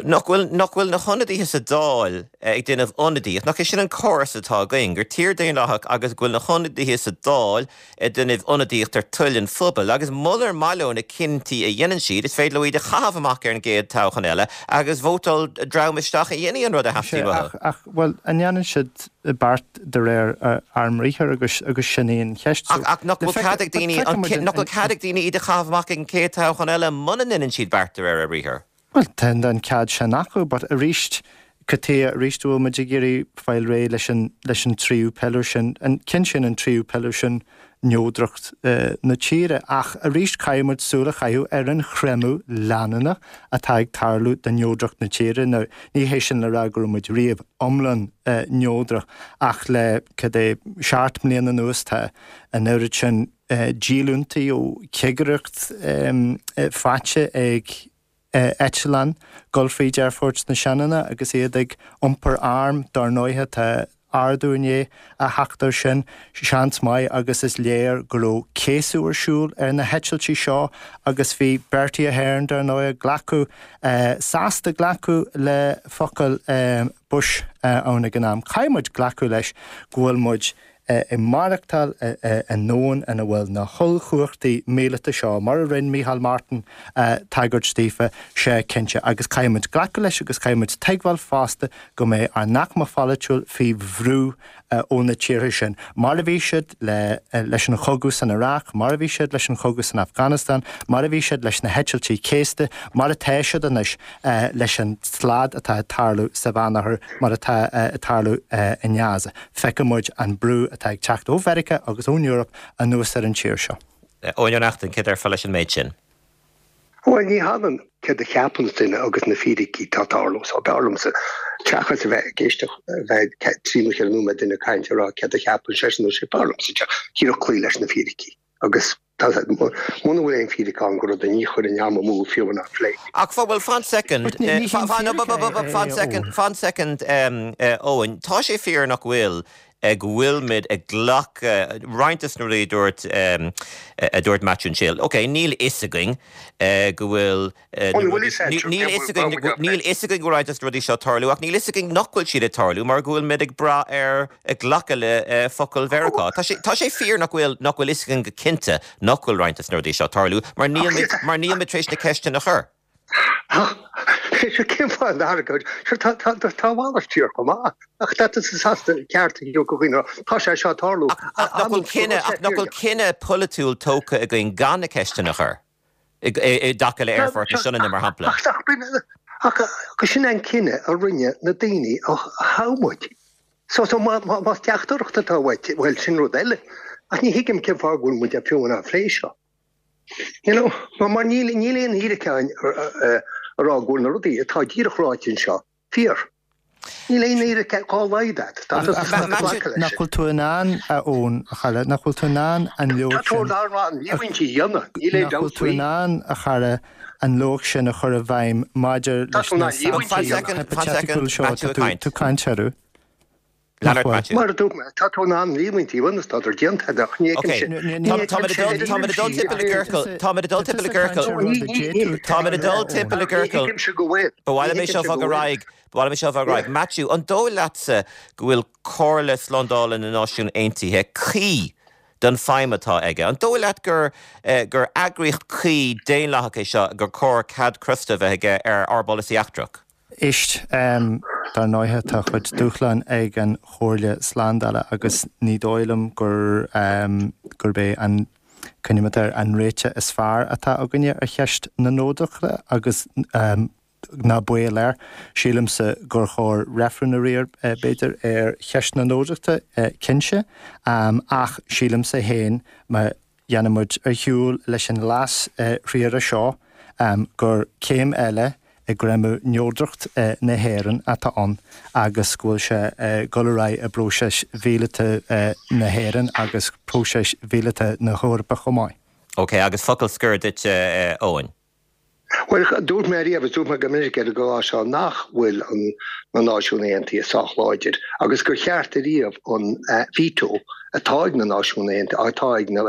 nach bhfuil, nach bhfuil na hionadaithe sa Dáil ag déanamh ionadaíocht, nach é sin an córas atá againn, gur tír daonlathach agus go bhfuil na hionadaithe sa Dáil ag déanamh ionadaíocht ar toil an phobail agus munar maith leo na cinntí a dhéanann siad, is féidir leo iad a chaitheamh amach ar an gcéad toghchán eile agus vótáil dream isteach a dhéanfaidh an rud a theastaíonn uathu. Ach, ach, bhuel, an ndéanann siad beart de réir ár mbriathar agus agus sin í an cheist. Ach ach nach bhfuil cead ag daoine nach bhfuil cead ag daoine iad a chaitheamh amach ag an chéad toghchán eile muna ndéanann siad beart de réir a mbriathar? Bhuel tá an cead sin acu but arís cad chuige arís a bhfuil muid ag iarraidh fáil réidh leis an leis an tríú piléar sin, an cinntíonn an tríú piléar sin neodracht na tíre. Ach arís caithfidh muid súil a chaitheamh ar an chreimeadh leanúnach atá ag tarlú do neodracht na tíre. Now, ní hé sin le rá go raibh muid riamh iomlán neodrach ach le, cad é, seacht mbliana anuas tá an oiread sin díolúintí ó chigireacht faighte ag eitleáin dul fríd Aerfort na Sionainne agus iad ag iompar arm. Dar ndóighe tá ardú i ndiaidh a theacht air sin, seans maith, agus is léir go raibh céasadh ar siúl ar na heitiltí seo agus bhí Bertie Ahern, dar ndóighe, glacadh, sásta glacadh le focail Bush ann ag an am. Caithfidh muid glacadh leis go bhfuil muid ag maireachtáil i ndomhan ina bhfuil na hollchumhachtaí míleata seo, mar a rinne Micheál Martin tagairt daofa, sea cinnte, agus caithfidh muid glacadh leis agus caithfidh muid tuigbheáil fosta go mbeidh ár n-aicme pholaitiúil faoi bhrú ó na tíortha sin, mar a bhí siad leis an chogadh san Iaráic, mar a bhí siad leis an chogadh san Afganastáin, mar a bhí siad leis na heitiltí céasta, mar atá siad anois leis an slad atá ag tarlú sa Mheánoirthear, mar atá ag tarlú i nGaza. Feicfidh muid an brú atá ag teacht ó Mheiriceá agus ón Eoraip anuas ar an tír seo. Eoin Ó Neachtain, céard a déarfá leis an méid sin? Bhuel, ní hionann céard a cheapann duine agus na fíricí atá ag tarlú. So, b'fhearr liomsa, seachas a bheith ag éisteacht, a bheith trí nó ceithre nóiméad duine ag caint ag rá céard a cheapann seisean nó sí, b'fhearr liomsa díreach cloí leis na fíricí. Agus tá, muna bhfuil aon fíric ann go rud a ní chuirfinn am amú fiú ná plé. Ach bhuel, fan soicind, fan soicind, fan soicind, Eoin, tá sé fíor nach bhfuil go bhfuilimid ag glacadh roinnt de na rudaí a dúirt a dúirt Maitiú ansin. Ok, níl fhios againn go bhfuil níl fhios againn níl fhios againn go bhfuil roinnt de na rudaí seo ag tarlú ach níl fhios againn nach bhfuil siad ag tarlú mar go bhfuilimid ag brath ar ag glacadh le focail Mheiriceá. Tá sé tá sé fíor nach bhfuil nach bhfuil fhios againn go cinnte nach bhfuil roinnt de na rudaí seo ag tarlú mar níl mar nílimid tar éis na ceisteanna a chur. Cén fáth an argóint? Sure, tá tá tá a mhalairt fíor chomh maith. Ach tá tusa sásta ceart a thabhairt do dhaoine, tá sé seo ag tarlú. Ach nach bhfuil cinneadh, ach nach bhfuil cinneadh polaitiúil tógtha againn gan na ceisteanna a chur i dtaca le Aerfort na Sionainne, mar shampla? Ach Ach sin an cinneadh a rinne na daoine a thogh muid. So so más teachtaireacht atá uait, bhuel sin rud eile. Ach ní thuigim cén fáth go bhfuil muid fiú á phlé seo. You know, mar níl níl aon fhíric ann a rá go bhfuil na rudaí atá díreach ráite anseo fíor. Níl aon fhíric dhá laghad agat. Nach bhfuil tú in ann, a Eoin, a chara, nach bhfuil tú in ann an luach sin. Tá tú in ann líomhaintí a dhéanamh, níl aon Nach dabht bhfuil tú faoi. in ann, a chara, an luach sin a chur i bhfeidhm maidir Tá leis tú in na ann líomhaintí a samplaí dhéanamh. hipitéiticúla seo atá tú ag caint orthu. Nach Leonard bhfuil? Matthew. Mar a dúirt mé, tá tú in ann líomhaintí a dhéanamh, tádar déanta agat, ach ní Ok, fheicimse, ní táimid ag dul fheicimse táimid ag dul timpeall i gciorcal, táimid ag dul timpeall i gciorcal, táimid ag dul timpeall i Ní gciorcal. thuigimse go bhfuil. Ba mhaith Ní liom é seo thuigimse go a fháil ar bhfuil. aghaidh, ba mhaith liom é seo a fháil ar aghaidh. Matthew, an dóigh leatsa go bhfuil Comhairle Slándála na Náisiún Aontaithe cuí don feidhm atá aige? An dóigh leat gur gur eagraíocht cuí daonlathach é seo gur chóir cead crosta bheith aige ar ár bpolasaí eachtrach? Éist, dar ndóighe tá chuid dúshlán ag an Chomhairle Slándála agus ní dóigh liom gur gurb é an coinníoll ar an réiteach is fearr atá againne ar cheist na neodrachta agus ná baol air. Sílimse gur chóir reifreann a riar b'fhéidir ar cheist na neodrachta cinnte, ach sílimse féin má dhéanann muid ar shiúl leis an leas-Phríomh-Aire seo gur céim eile i gcreimeadh neodracht na hÉireann atá ann agus go bhfuil sé ag dul ar aghaidh i bpróiseas mhíleata na hÉireann agus próiseas mhíleata na hEorpa chomh maith. Ok, agus focal scoir duit Eoin. Well, dúirt mé riamh dúirt mé go minic ar an gclár seo nach bhfuil an na Náisiúin Aontaithe sách láidir agus gur cheart ariamh an veto atá ag na Náisiúin Aontaithe atá ag na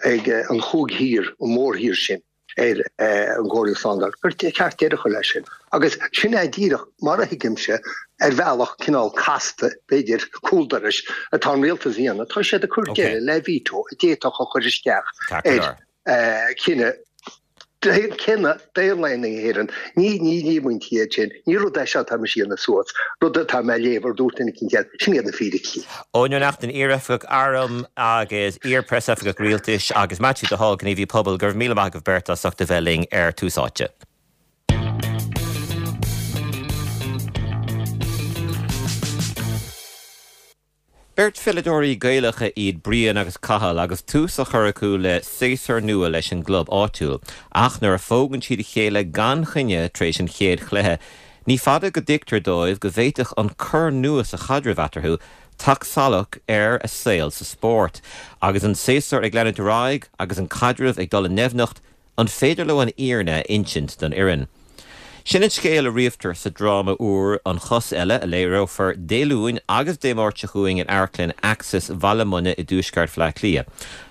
ag an chúig thír an mórthír sin ar an gComhairle Slándála gur ceart deireadh a chur leis sin. Agus sin é díreach mar a thuigimse ar bhealach cineál casta b'fhéidir cúldorais atá an rialtas a dhéanamh, tá siad ag cur deireadh le veto a d'fhéadfadh a chur isteach ar chinneadh cinneadh daonlathach na hÉireann. Ní ní líomhaintí iad sin, ní rud é seo atá mise a dhéanamh suas, rud atá mé a léamh ar dúirt duine eicínt eile, sin iad na fíricí. Eoin Ó Neachtain, iar-oifigeach airm agus iar-phreasoifigeach rialtais agus Maitiú de Hál, gníomhaí pobail, go raibh míle maith agaibh beirt as ucht a bheith linn ar Tús Áite. Beirt pheileadóirí Gaelacha iad Brian agus Cathal agus tús á chur acu le séasúr nua leis an gclub áitiúil. Ach nuair a phógann siad a chéile gan choinne tar éis an chéad chluiche, ní fada go dtuigtear dóibh go bhféadfadh an cor nua sa chaidreamh eatarthu teacht salach ar a saol sa spórt. Agus an séasúr ag leanúint ar aghaidh agus an caidreamh ag dul i ndoimhneacht, an féidir leo an fhírinne a insint don fhoireann? Sin an scéal a ríomhtar sa dráma úr An Chos Eile a léireofar Dé Luain agus Dé Máirt seo chugainn in Amharclann Axis Bhaile Munna i dtuaisceart Bhaile Átha Cliath.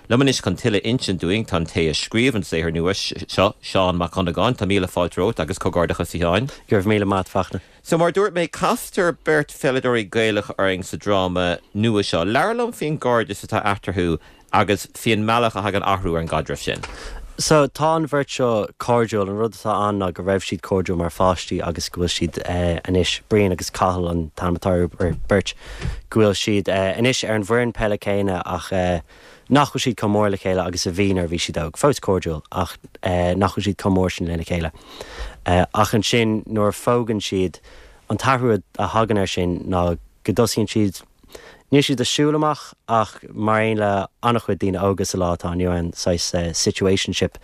Liom anois chun tuilleadh a insint dúinn tá an té a scríobh an saothar nua seo, Seán Mac Dhonnagáin, tá míle fáilte romhat agus comhghairdeachas a Sheáin. Go raibh míle maith agat, a Fachtna. So mar dúirt mé castar beirt pheileadóirí Gaelach orainn sa dráma nua seo. Labhair liom faoin gcairdeas atá eatarthu agus faoin mbealach a thagann athrú ar an gcaidreamh sin. So tá an bheirt seo cairdiúil an rud atá ann ná go raibh siad cairdiúil mar pháistí agus go bhfuil siad eh, anois Brian agus Cathal an t-ainm atá ar beirt go bhfuil siad eh, anois ar an bhfoireann peile céanna ach eh, nach bhfuil siad chomh mór le chéile agus a bhí nuair a bhí siad óg. Fós cairdiúil ach eh, nach bhfuil siad chomh mór sin lena chéile. Eh, ach ansin nuair a phógann siad an t-athrú a thagann air sin ná go dtosaíonn siad Níl siad ag siúl amach ach mar aon le an-chuid daoine óga sa lá atá inniu ann saghas uh, situationship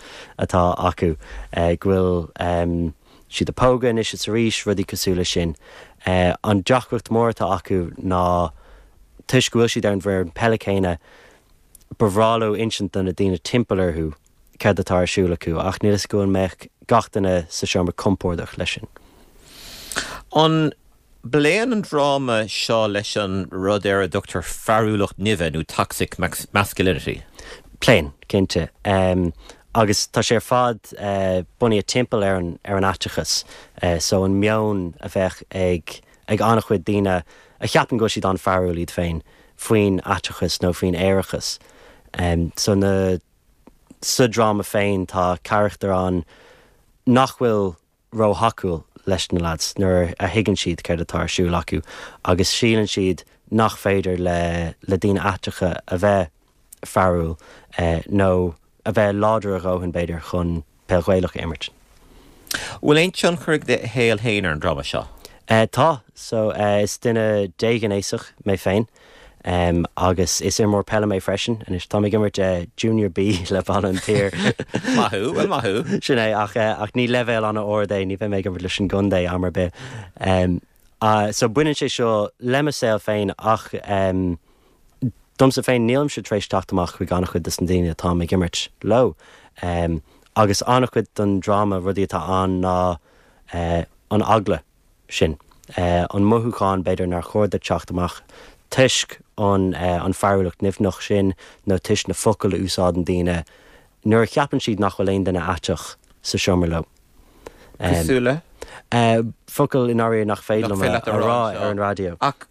atá acu uh, go bhfuil um, siad ag pógadh anois is arís rudaí cosúil leis sin. Uh, an deacracht mór atá acu ná toisc go bhfuil siad ar an bhfoireann peile céanna ba bhreá leo insint do na daoine timpeall orthu céard atá ar siúl acu ach níl a fhios go mbeadh gach duine sa seomra compordach leis sin. An bpléann an dráma seo leis an rud ar a dtugtar fearúlacht nimhe nó toxic masculinity. Pléann cinnte. Um, agus tá sé ar fad uh, bunaithe timpeall ar an ar an aiteachas, uh, so an meon a bheadh ag ag an-chuid daoine a cheapann go bhfuil siad an-fhearúil iad féin faoin aiteachas nó faoin aerachas. Um, so na sa dráma féin tá carachtar ann nach bhfuil róthacúil leis na lads nuair a thuigeann siad céard atá ar siúl acu agus síleann siad nach féidir le le daoine aiteacha a bheith fearúil eh, nó a bheith láidir a dhóthain b'fhéidir chun peil Ghaelach a imirt. Bhfuil aon tionchar ag do shaol féin ar an dráma seo? Tá. So is duine déghnéasach mé féin agus is imreoir peile mé freisin. Anois táim ag imirt Junior B le Baile an tSaoir. Maith thú, bhuel maith thú. Sin é, ach ach ní leibhéal an-ard é, ní bheidh mé ag imirt leis an gcontae am ar bith. So baineann sé seo le mo saol féin ach domsa féin nílimse tar éis teacht amach chuig an-chuid de na daoine atáim ag imirt leo. Agus an-chuid den dráma rudaí atá ann ná an eagla sin, an mothúchán b'fhéidir nár chóir duit teacht amach toisc an an fearúlacht nimhneach sin nó toisc na focail a úsáideann daoine nuair a cheapann siad nach bhfuil aon duine aiteach sa seomra leo. Cosúil le? Focail i ndáiríre nach féidir liom a rá ar an raidió. Ach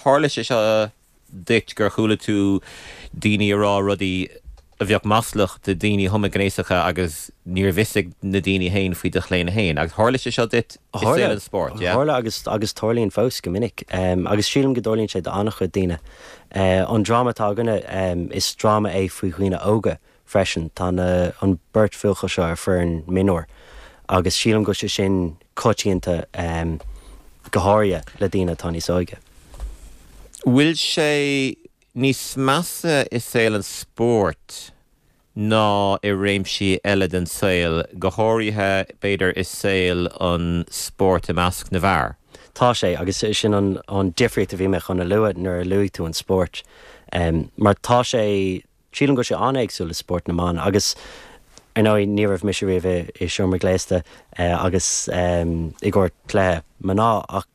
tharla sé seo duit gur chuala tú daoine ag rá rudaí a bheadh maslach do daoine homaighnéasacha agus níorbh fhios ag na daoine féin faoi do chlaonadh féin. Agus tharla sé seo duit i saol an spóirt, yeah? Tharla agus agus tarlaíonn fós go minic. Agus sílim go dtarlaíonn sé d'an-chuid daoine. An dráma atá againne, is dráma é faoi dhaoine óga freisin. Tá na an beirt bhuachaill seo ar foireann mionúir agus sílim go bhfuil sé sin coitianta go háirithe le daoine atá níos óige. Bhfuil sé níos measa i saol an spóirt ná i réimsí eile den saol, go háirithe, b'fhéidir, i saol an spóirt i measc na bhfear? Tá sé, agus sin an an difríocht a bhí mé chun a lua nuair a luaigh tú an spórt. Mar tá sé, sílim go bhfuil sé an-éagsúil le spórt na mban agus ar ndóigh ní raibh mise riamh i seomra gléasta agus i gcomhair cluiche mná ach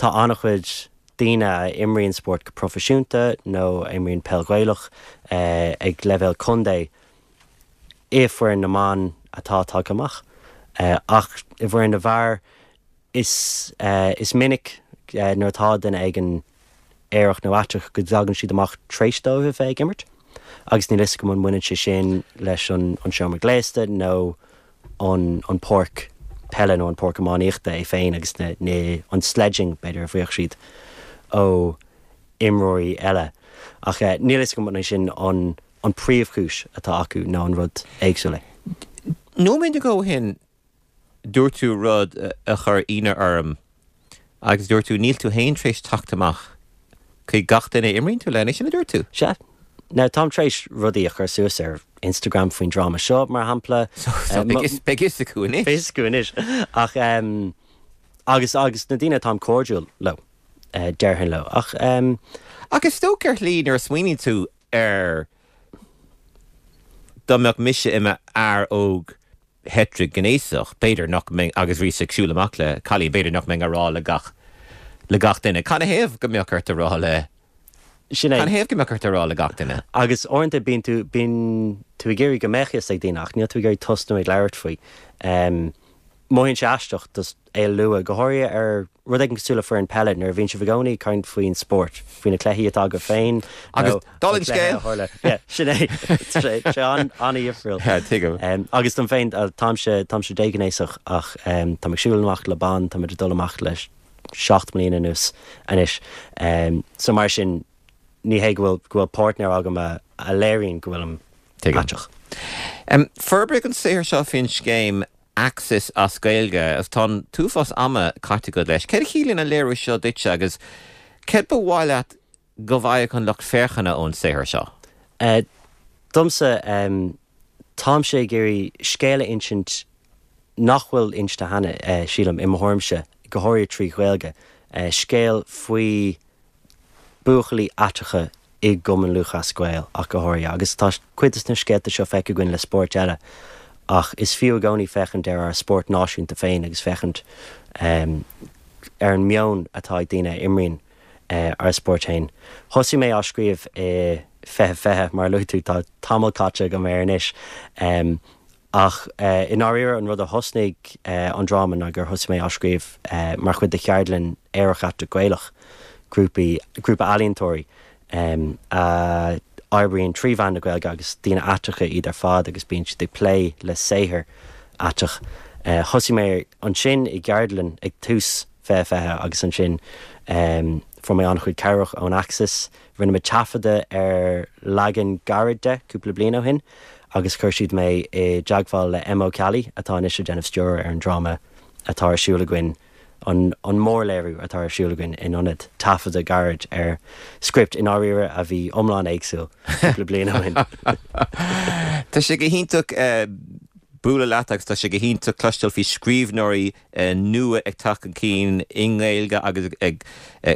tá an-chuid daoine a imríonn spórt go proifisiúnta nó a imríonn peil Ghaelach ag leibhéal contae i bhfoireann na mban atá tagtha amach. Ach i bhfoireann na bhfear is is minic nuair atá duine éigin aerach nó aiteach go dtagann siad amach tar éis dóibh a bheith ag imirt agus níl fhios agam an mbaineann sé sin leis an an seomra gléasta nó an an páirc peile nó an páirc iománaíochta é féin agus na na an sledging b'fhéidir a bhfaigheadh siad ó imreoirí eile. Ach níl fhios agam an é sin an an príomhchúis atá acu nó an rud éagsúil é. Nóiméad nó dhó ó shin dúirt tú rud a chuir ionadh orm agus dúirt tú níl tú féin tar éis teacht amach chuig gach duine a imríonn tú le, an é sin a dúirt tú? Sea. Now táim tar éis rudaí a chur suas ar Instagram faoin dráma seo, mar shampla. So beidh fhios acu anois. Beidh fhios acu anois. Ach agus agus na daoine atáim cairdiúil leo, déarfainn leo. Ach. Ach is dócha ar shlí nuair a smaoiníonn tú air dá mbeadh mise i m'fhear óg heitrighnéasach, b'fhéidir nach mbeinn, agus bhíos ag siúl amach le cailín, b'fhéidir nach mbeinn á rá le gach, le gach duine. Canathaobh go mbeadh ort a rá le, Sin é. canathaobh go mbeadh ort a rá le gach duine? Agus uaireanta bíonn tú, bíonn tú ag iarraidh go mbeadh fhios ag daoine ach níl tú ag iarraidh tosnú ag labhairt faoi. Mothaíonn sé aisteach just é a lua, go háirithe ar rud éigin cosúil le foireann peile, nuair a bhíonn sibh i gcónaí ag caint faoin spórt, faoi na cluichí atá agaibh féin Agus nó dála an an cluiche scéil! a tharla. Yeah, sin é. Tá sé sé an-difriúil. Yeah, tuigim. Agus dom féin, táimse, táimse déghnéasach ach táim ag siúl amach le bean, táimid ag dul amach le seacht mbliana anuas anois. So mar sin, ní hé go bhfuil, go bhfuil páirtnéir agam a, a léiríonn go bhfuilim Tuigim. aiteach. Forbraíodh an saothar seo faoin scéim Axis as Gaeilge agus tá an t-uafás ama caite agat leis. Céard a chiallaíonn an léiriú seo duitse agus céard ba mhaith leat go bhfaigheadh an lucht féachana ón saothar seo? Domsa, táimse ag iarraidh scéal a insint nach bhfuil inste cheana, sílim, i mo thuairimse, go háirithe trí Ghaeilge. Scéal faoi buachaillí aiteacha i gCumann Lúthchleas Gael ach go háirithe, agus tá cuid de na scéalta seo feicthe againn le spóirt eile, ach is fiú i gcónaí féachaint ar ár spórt náisiúnta féin agus féachaint ar an meon atá ag daoine a imríonn ár spórt féin. Thosaigh mé á scríobh i fiche fiche, mar a luaigh tú, tá tamall caite agam air anois. Ach i ndáiríre, an rud a thosnaigh an dráma ná gur thosaigh mé á scríobh mar chuid de cheardlann Aerach Aiteach Gaelach, grúpaí, grúpa ealaíontóirí a oibríonn trí mheán na Gaeilge agus daoine aiteacha iad ar fad agus bíonn siad ag plé le saothar aiteach. Thosaigh mé ansin i gceardlann ag tús fiche fiche agus ansin Fuair mé an-chuid cabhrach ón Axis, rinne mé taifeadadh ar leagan gairid de cúpla bliain ó shin agus chuir siad mé i dteagmháil le Emma Ó Ceallaigh atá anois ag déanamh stiúradh ar an dráma atá ar siúl againn, an mórléiriú atá ar siúl againn in ionad taifeadadh gairid ar script i ndáiríre a bhí iomlán éagsúil cúpla bliain ó shin. Tá sé go hiontach bualadh leat agus tá sé go hiontach cloisteáil faoi scríbhneoirí nua ag teacht chun cinn i nGaeilge agus ag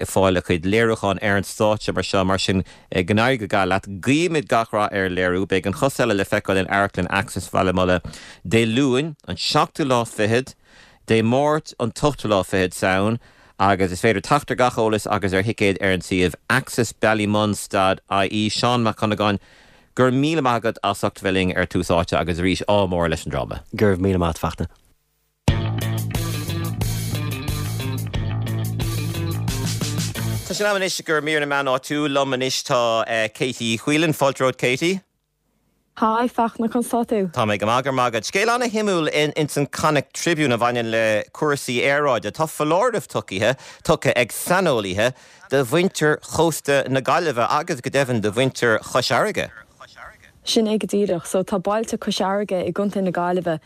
fáil a gcuid léiriúchán ar an stáitse mar seo. Mar sin, go n-éirí go geal leat. Guímid gach rath ar an léiriú. Beidh An Chos Eile le feiceáil in Amharclann Axis Bhaile Munna Dé Luain, an seachtú lá fichead, Dé Máirt, an t-ochtú lá fichead Samhain agus is féidir teacht ar gach eolas agus ar thicéid ar an suíomh axisballymun dot ie. Seán Mac Dhonnagáin, Go raibh míle maith agat as ucht bheith linn ar Tús Áite agus arís ádh mór leis an dráma. Go raibh míle maith agat, Fachtna. Tá sé in am anois do mhír na meán áitiúil. Liom anois tá Katie Whelan. Fáilte romhat Katie. Hi Fachtna, conas tá tú? Tá mé go maith, go raibh maith agat. Scéal ana-shuimiúil ins an Connacht Tribune a bhaineann le cúrsaí aeráide. Tá foláireamh tugtha tugtha ag saineolaithe do mhuintir chósta na Gaillimhe agus go deimhin do mhuintir Chois Fharraige. Sin é go díreach. So tá bailte Cois Fharraige i gContae na Gaillimhe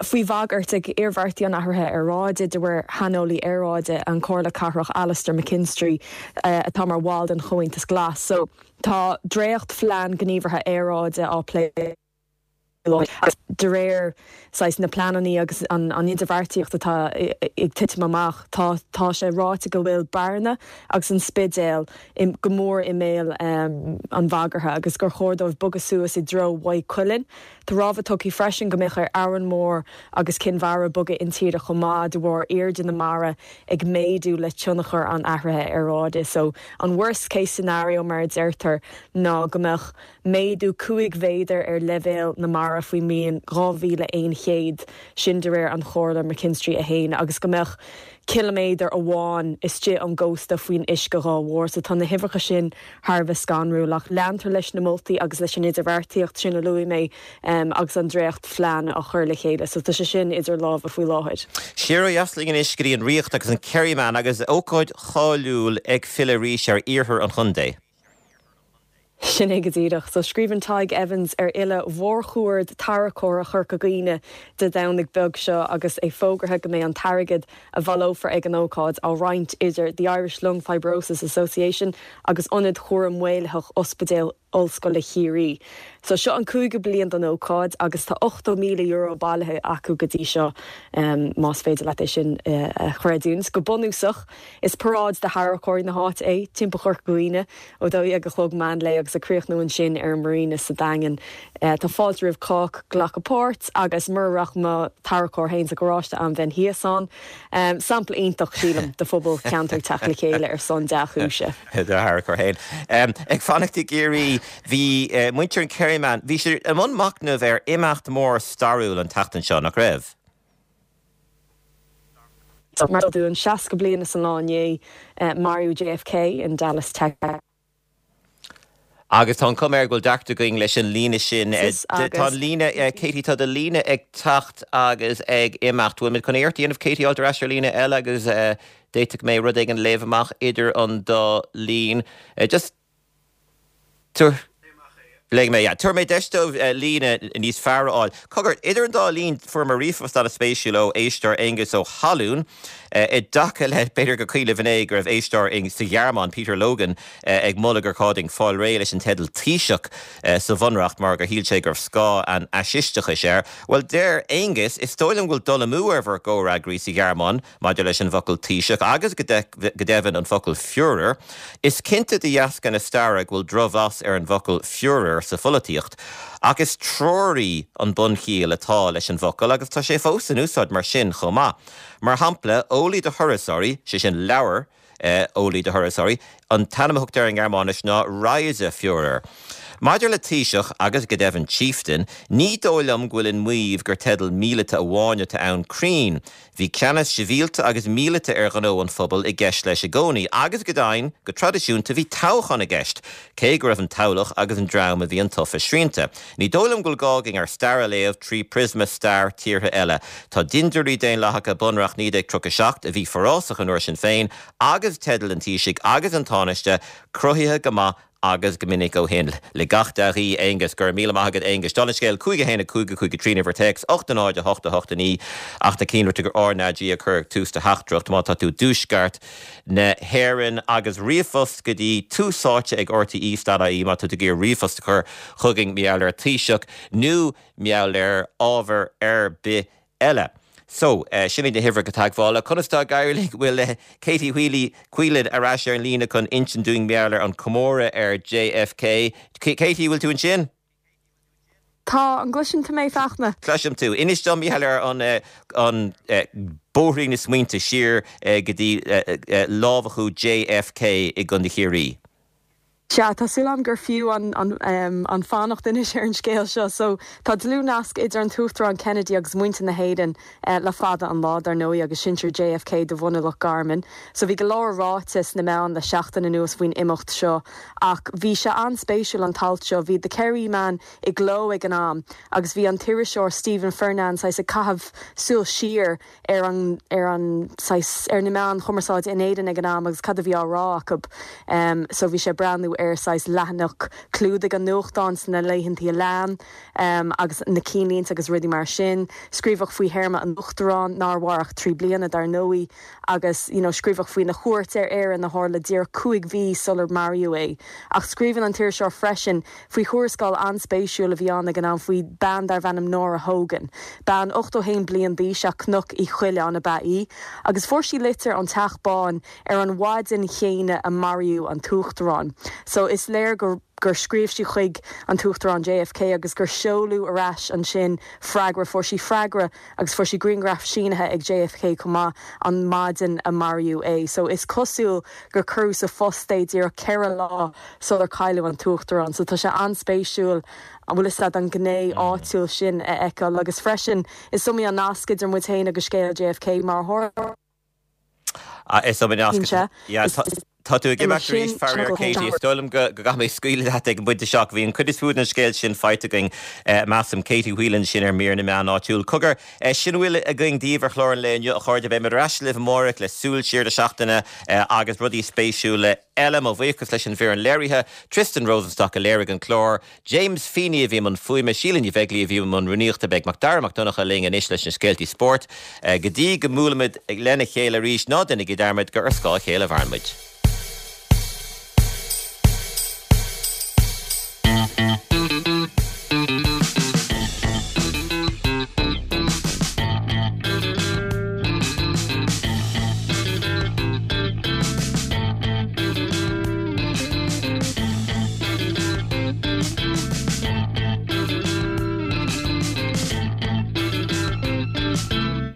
faoi bhagairt ag iarmhairtí an athraithe aeráide, de réir shaineolaí aeráide an Chomhairle Cathrach Alastair McKinstry atá mar bhall den Chomhaontas Glas. So tá dréacht-phlean gníomhartha aeráide á plé agus de réir saghas na pleananna agus an idirbheartaíocht atá ag titim amach, tá tá sé ráite go bhfuil Bearna agus an Spidéal go mór i mbéal an bhagartha agus gur chóir dóibh bogadh suas i dtreo Mhaigh Cuilinn. Tá rabhadh tugtha freisin go mbeadh ar Árainn Mhór agus Cinn Mhara bogadh intíre chomh maith de bharr airde na mara ag méadú le tionchar an athraithe aeráide. So an worst case scenario mar a deirtear ná go mbeadh méadú cúig mhéadar ar leibhéal na mara faoin mbliain dhá mhíle aon chéad, sin de réir an Chomhairle McKinstry a haon, agus go mbeadh ciliméadar amháin istigh ón gcósta faoin uisce dá bharr. So tá na huimhreacha sin thar a bheith scanrúil ach leantar leis na moltaí agus leis an idirbheartaíocht sin a luaigh mé agus an dréachtphlean á chur le chéile. So tá sé sin idir lámha faoi láthair. Siar ó dheas linn anois go dtí an Ríocht agus an Kerryman agus ócáid cháiliúil ag filleadh arís ar iarthar an chontae. Sin é go díreach. So scríobhann Tadhg Evans ar fhilleadh mhórchuaird tarracóra Chorca Dhuibhne Dé Domhnaigh beag seo agus é fógartha go mbeidh an t-airgead a bhaileofar ag an ócáid á roinnt idir The Irish Lung Fibrosis Association agus Ionad Chúraim Mhaolaitheach Ospidéal Ollscoile Chiarraí. So seo an cúigiú bliain don ócáid agus tá ochtó míle euro bailithe acu go dtí seo, más féidir leat é sin a chreidiúint. Go bunúsach, is paráid de tharracóirí na háite é, timpeall Chorca Dhuibhne, ó dó dhéag a chlog meán lae agus ag críochnú ansin ar an Marina sa Daingean. Tá fáilte roimh chách glacadh páirt agus mura raibh mo tharracóir féin sa gharáiste ann bheinn thíos ann. Sampla iontach, sílim, de phobal ceantair teacht le chéile ar son dea-chúise. Do tharracóir féin. Ag fanacht i gCiarraí, bhí muintir an Kerryman, bhí siad i mbun machnaimh ar imeacht mór stairiúil an tseachtain seo, nach raibh? Mar is eol dúinn, seasca bliain is an lá inné, maraíodh JFK in Dallas, Texas. Agus tá an chuma air go bhfuil deacracht againn leis an líne sin. Tá an líne, Katie, tá do líne ag teacht agus ag imeacht. Bhfuil muid chun iarracht a dhéanamh Katie a fháilt ar ais ar líne eile agus d'fhéadfadh mé rud éigin a léamh amach idir an dá linn. Just tabhair. Léigh mé, yeah. Tabharfaidh mé deis dóibh líne níos fearr a fháil. Cogar, idir an dá linn, fuaireamar ríomhphost an-spéisiúil ó éisteoir Aengus Ó hAlún, i dtaca le, b'fhéidir gur cuimhin libh inné go raibh éisteoir sa Ghearmáin, Peter Logan, ag moladh gur chóir dúinn fáil réidh leis an teideal Taoiseach sa Bhunreacht mar gur shíl sé go raibh scáth an fhaisisteachais air. Bhuel, deir Aengus, is dóigh liom go bhfuil dul amú ar bhur gcomhfhreagraí sa Ghearmáin maidir leis an bhfocal Taoiseach agus go deimhin an focal Führer. Is cinnte de dheasca na staire go bhfuil drochbhlas ar an bhfocal Führer sa pholaitíocht, ach is treoraí an bunchiall atá leis an bhfocal agus tá sé fós in úsáid mar sin chomh maith. Mar shampla, eolaí do thurasóirí, sé sin leabhar eolaí do thurasóirí, an t-ainm a thugtar air i nGearmáinis ná Reiseführer. Maidir le Taoiseach agus go deimhin Chieftain, ní dóigh liom go bhfuil an maíomh gur teideal míleata amháin atá ann cruinn. Bhí ceannas sibhialta agus míleata ar ghnó an phobail i gceist leis i gcónaí agus go deimhin, go traidisiúnta bhí toghchán i gceist, cé go raibh an toghlach agus an dream a bhí intofa srianta. Ní dóigh liom go bhfuil gá againn ár stair a léamh trí phriosma stair tíortha eile. Tá dintiúirí daonlathacha Bunreacht naoi déag tríocha a seacht, a bhí forásach an uair sin féin, agus teidil an Taoisigh agus an Tánaiste cruthaithe go maith agus go minic ó shin. Le gach dea-ghuí, Aonghus. Go raibh míle maith agat, Aonghus. Dála an scéil, cúig a haon a cúig a cúig a trí an uimhir téacs, ocht a náid a hocht a hocht a naoi ach ná déan dearmad gur RnaG a chur ag tús do theachtaireacht má tá tú i dtuaisceart na hÉireann agus ríomhphost go dtí tús áite ag RTE dot ie má tá tú ag iarraidh ríomhphost a chur chugainn mar gheall ar Taoiseach nó mar gheall ar ábhar ar bith eile. So, sin iad na huimhreacha teagmhála. Conas tá ag éirí linn? Bhfuil Katie Wheely, Whelan ar ais ar an líne chun insint dúinn mar gheall ar an comóradh ar JFK. Katie, bhfuil tú ansin? Tá, an gcloiseann tú mé, Fachtna? Cloisim tú. Inis dom mar gheall ar an an bóithrín na smaointe siar go dtí lámhachú JFK i gContae Chiarraí. Sea, tá súil agam gur fiú an an fanacht anois ar an scéal seo. So, tá dlúthnasc idir an tUachtarán Kennedy agus muintir na hÉireann le fada an lá, dar ndóigh, agus sinsir JFK de bhunadh Loch Garman. So, bhí go leor ráite sna meáin le seachtain anuas faoin imeacht seo ach bhí sé an-spéisiúil an t-alt seo. Bhí The Kerryman i gcló ag an am agus bhí an t-iriseoir Stephen Fernane saghas ag caitheamh súil siar ar an ar an saghas ar na meáin chumarsáide in Éirinn ag an am agus cad a bhí á rá acu. So bhí sé ag breathnú ar saghas leathanach clúdaigh an nuachtáin sna laethantaí a lean agus na cinnlínte agus rudaí mar sin. Scríobhadh faoi théarma an Uachtaráin, nár mhair ach trí bliana dar ndóigh, agus you know scríobhadh faoina chuairt ar Éirinn a tharla díreach cúig mhí sular maraíodh é. Ach scríobhann an t-iriseoir freisin faoi thuarascáil an-spéisiúil a bhí ann ag an am faoi bean darbh ainm Nora Hogan. Bean ochtó haon bliain d'aois as Cnoc Uí Choileáin ab ea í agus fuair sí litir ón Teach Bán ar an mhaidin chéanna a maraíodh an tUachtarán. So is léir gur gur scríobh sí chuig an tUachtarán JFK agus gur seoladh ar ais ansin freagra, fuair sí freagra agus fuair sí grianghraf sínithe ag JFK chomh maith an maidin a maraíodh é. So is cosúil gur cuireadh sa phost é díreach ceithre lá sular cailleadh an tUachtarán. So tá sé an-spéisiúil an bhfuil fhios agat an ghné áitiúil sin a fheiceáil agus freisin is iomaí an nasc idir muid féin agus scéal JFK mar a tharla Is iomaí nasc. Tá tú ag imeacht arís, faraor, Katie. Is dóigh liom go gcaithfidh mé scaoileadh leat ag an bpointe seo. Bhí an chuid is mó den scéal sin faighte againn, measaim. Katie Whelan sin ar mír na meán áitiúil. Cogar, sin a bhfuil againn daoibh ar chlár an lae inniu, a chairde. Beimid ar ais libh amárach le súil siar do seachtaine agus rudaí spéisiúla eile. Mo bhuíochas leis an bhfoireann léirithe, Tristan Rosenstock a léirigh an clár, James Feeney a bhí i mbun fuaime, Síle Ní Bheaglaoí a bhí i mbun rúnaíochta. Beidh Macdara Mac Donncha linn anois leis na scéaltaí spóirt. Go dtí go mbuailimid lena chéile arís, ná déanaigí dearmad gur ar scáth a chéile a mhaireann muid.